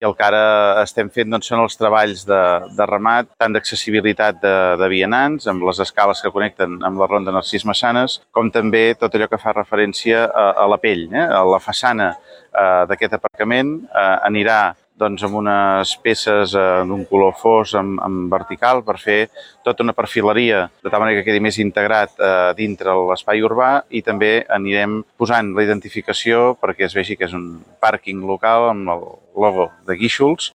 I el que ara estem fent són els treballs de remat, tant d'accessibilitat de vianants, amb les escales que connecten amb la ronda Narcís Massanes, com també tot allò que fa referència a la pell. A la façana d'aquest aparcament anirà amb unes peces d'un color fos en vertical per fer tota una perfileria, de tal manera que quedi més integrat dintre l'espai urbà, i també anirem posant la identificació perquè es vegi que és un pàrquing local amb el logo de Guíxols